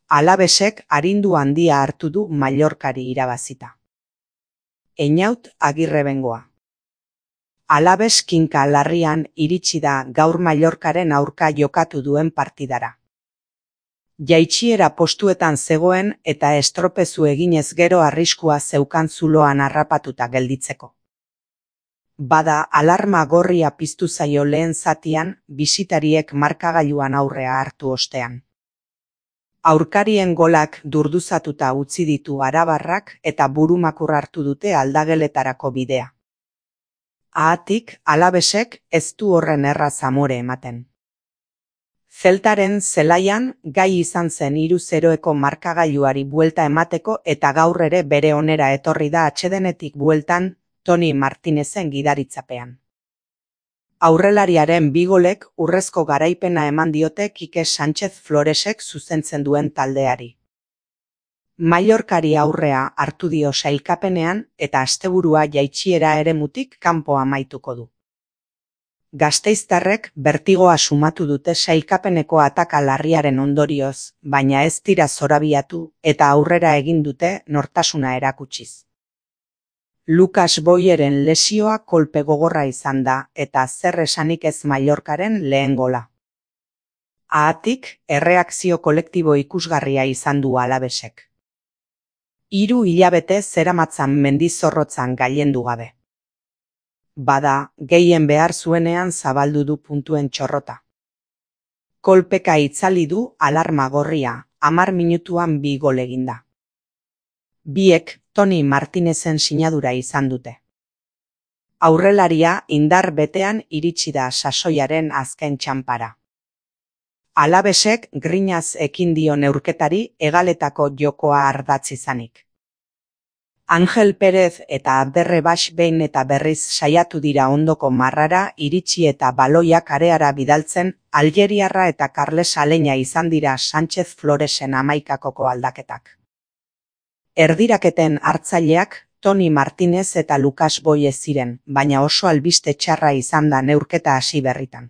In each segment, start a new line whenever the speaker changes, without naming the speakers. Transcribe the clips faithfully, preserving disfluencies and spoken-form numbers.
Alavesek arindu handia hartu du Mallorcari irabazita. Einaut Agirrebengoa. Alaves kinka larrian iritsi da gaur Mallorcaren aurka jokatu duen partidara. Jaitsiera postuetan zegoen eta estropezu eginez gero arriskua zeukan zuloan harrapatuta gelditzeko. Bada alarma gorria piztu zaio lehen zatian bisitariek markagailuan aurrea hartu ostean. Aurkarien golak durduzatuta utzi ditu arabarrak eta burumakur hartu dute aldageletarako bidea. Haatik, Alavesek ez du horren erraz amore ematen. Zeltaren zelaian gai izan zen hiru zeroeko markagailuari buelta emateko eta gaur ere bere onera etorri da atsedenetik bueltan Toni Martinezen gidaritzapean. Aurrelariaren bi golek urrezko garaipena eman diote Kike Sánchez Floresek zuzentzen duen taldeari. Mallorcari aurrea hartu dio sailkapenean eta asteburua jaitsiera eremutik kanpo amaituko du. Gasteiztarrek bertigoa sumatu dute sailkapeneko ataka larriaren ondorioz, baina ez dira zorabiatu eta aurrera egin dute nortasuna erakutsiz. Lucas Boyeren lesioa kolpe gogorra izan da eta zer esanik ez Mallorcaren lehen gola. Haatik, erreakzio kolektibo ikusgarria izan du Alavesek. Hiru hilabete zeramatzan mendizorrotzan gailendu gabe. Bada, gehien behar zuenean zabaldu du puntuen txorrota. Kolpeka itzali du alarma gorria, hamar minutuan bi gol eginda. Biek Toni Martinezen sinadura izan dute. Aurrelaria indar betean iritsi da sasoiaren azken txanpara. Alavesek grinaz ekin dio neurketari hegaletako jokoa ardatz izanik. Angel Pérez eta Abderre Baix behin eta berriz saiatu dira ondoko marrara iritsi eta baloiak areara bidaltzen Aljeriarra eta Carles Aleña izan dira Sánchez Floresen hamaikakoko aldaketak. Erdiraketen hartzaileak Toni Martinez eta Lucas Boye ziren, baina oso albiste txarra izan da neurketa hasi berritan.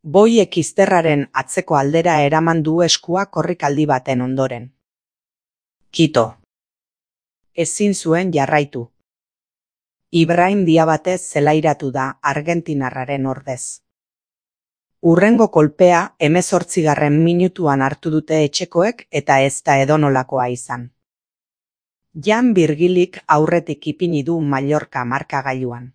Boyek izterraren atzeko aldera eraman du eskua korrikaldi baten ondoren. Kito. Ezin zuen jarraitu. Ibrahim Diabatez zelairatu da argentinarraren ordez. Hurrengo kolpea hemezortzigarren minutuan hartu dute etxekoek eta ez da edonolakoa izan. Jan Virgilik aurretik ipini du Mallorca markagailuan.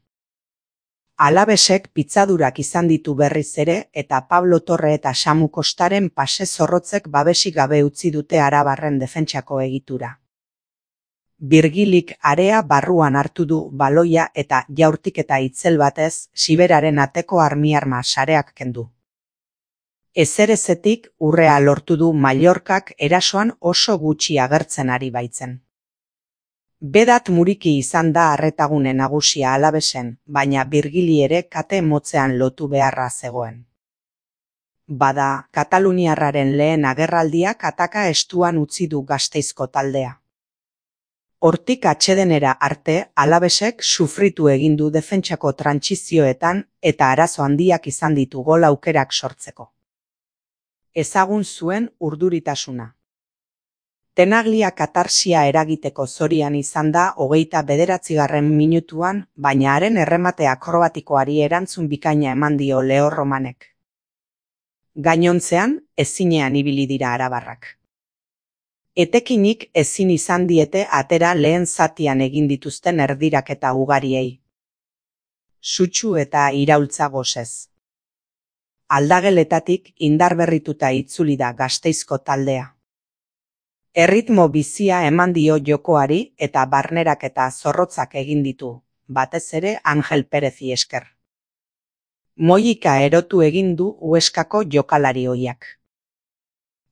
Alavesek pitzadurak izan ditu berriz ere eta Pablo Torre eta Samu Kostaren pase zorrotzek babesik gabe utzi dute arabarren defentsako egitura. Virgilik area barruan hartu du baloia eta jaurtik eta itzel batez Siberaren ateko armiarma sareak kendu. Ezerezetik urrea lortu du Mallorcak erasoan oso gutxi agertzen ari baitzen. Bedat Muriki izan da arretagune nagusia Alavesen, baina Virgili ere kate motzean lotu beharra zegoen. Bada, Kataluniarraren lehen agerraldiak ataka estuan utzi du Gasteizko taldea. Hortik atsedenera arte Alavesek sufritu egin du defentsako trantsizioetan eta arazo handiak izan ditu gol aukerak sortzeko. Ezagun zuen urduritasuna. Tenaglia katarsia eragiteko zorian izan da hogeita bederatzigarren minutuan, baina haren erremate akrobatikoari erantzun bikaina eman dio Leo Romanek. Gainontzean, ezinean ibili dira arabarrak. Etekinik ezin izan diete atera lehen zatian egin dituzten erdiraketa ugariei. Sutsu eta iraultza gosez. Aldageletatik indarberrituta itzuli da Gasteizko taldea. Erritmo bizia eman dio jokoari eta barnerak eta zorrotzak egin ditu, batez ere Angel Perezi esker. Moika erotu egin du Hueskako jokalari ohiak.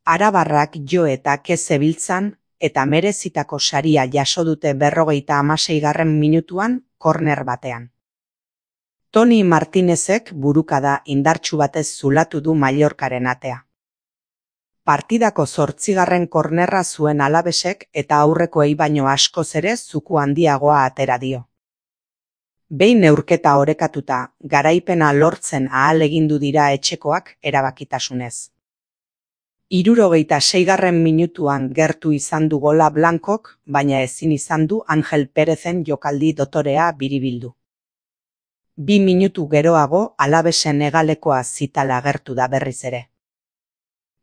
Arabarrak jo eta kezebiltzan eta merezitako saria jaso dute berrogeita hamaseigarren minutuan korner batean. Toni Martinezek burukada indartsu batez zulatu du Mallorcaren atea. Partidako zortzigarren kornerra zuen Alavesek eta aurrekoei baino askoz ere zuku handiagoa atera dio. Behin neurketa orekatuta, garaipena lortzen ahalegindu dira etxekoak erabakitasunez. Hirurogeita seigarren minutuan gertu izan du gola Blancok, baina ezin izan du Angel Perezen jokaldi dotorea biribildu. Bi minutu geroago Alavesen hegalekoa Zitala agertu da berriz ere.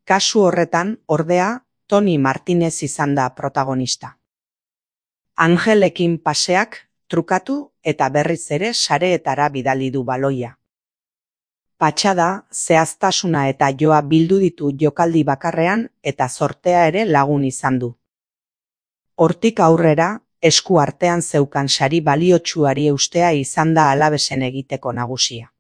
Kasu horretan, ordea, Toni Martinez izan da protagonista. Angelekin paseak, trukatu eta berriz ere sareetara bidali du baloia. Patxada, zehaztasuna eta joa bildu ditu jokaldi bakarrean eta zortea ere lagun izan du. Hortik aurrera, esku artean zeukan sari baliotsuari eustea izan da Alavesen egiteko nagusia.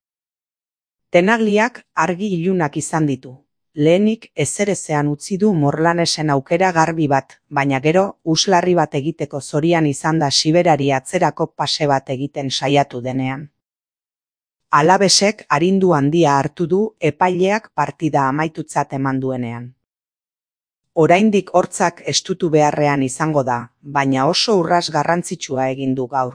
Tenagliak argi ilunak izan ditu. Lehenik ezerezean utzi du Morlanesen aukera garbi bat, baina gero uslarri bat egiteko zorian izan da Siberari atzerako pase bat egiten saiatu denean. Alavesek arindu handia hartu du epaileak partida amaitutzat eman duenean. Oraindik hortzak estutu beharrean izango da, baina oso urras garrantzitsua egin du gaur.